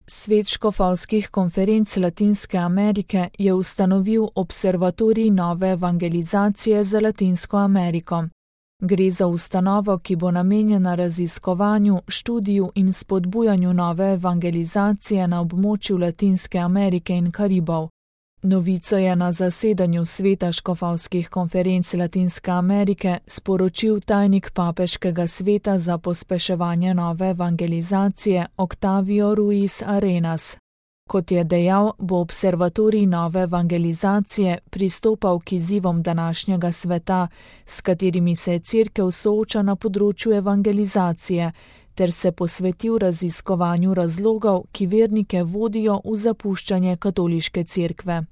Svet škofovskih konferenc Latinske Amerike je ustanovil Observatorij nove evangelizacije za Latinsko Ameriko. Gre za ustanovo, ki bo namenjena raziskovanju, študiju in spodbujanju nove evangelizacije na območju Latinske Amerike in Karibov. Novico je na zasedanju Sveta škofovskih konferenc Latinske Amerike sporočil tajnik Papeškega sveta za pospeševanje nove evangelizacije Octavio Ruiz Arenas. Kot je dejal, bo Observatorij nove evangelizacije pristopal k izzivom današnjega sveta, s katerimi se Cerkev sooča na področju evangelizacije, ter se posvetil raziskovanju razlogov, ki vernike vodijo v zapuščanje katoliške cerkve.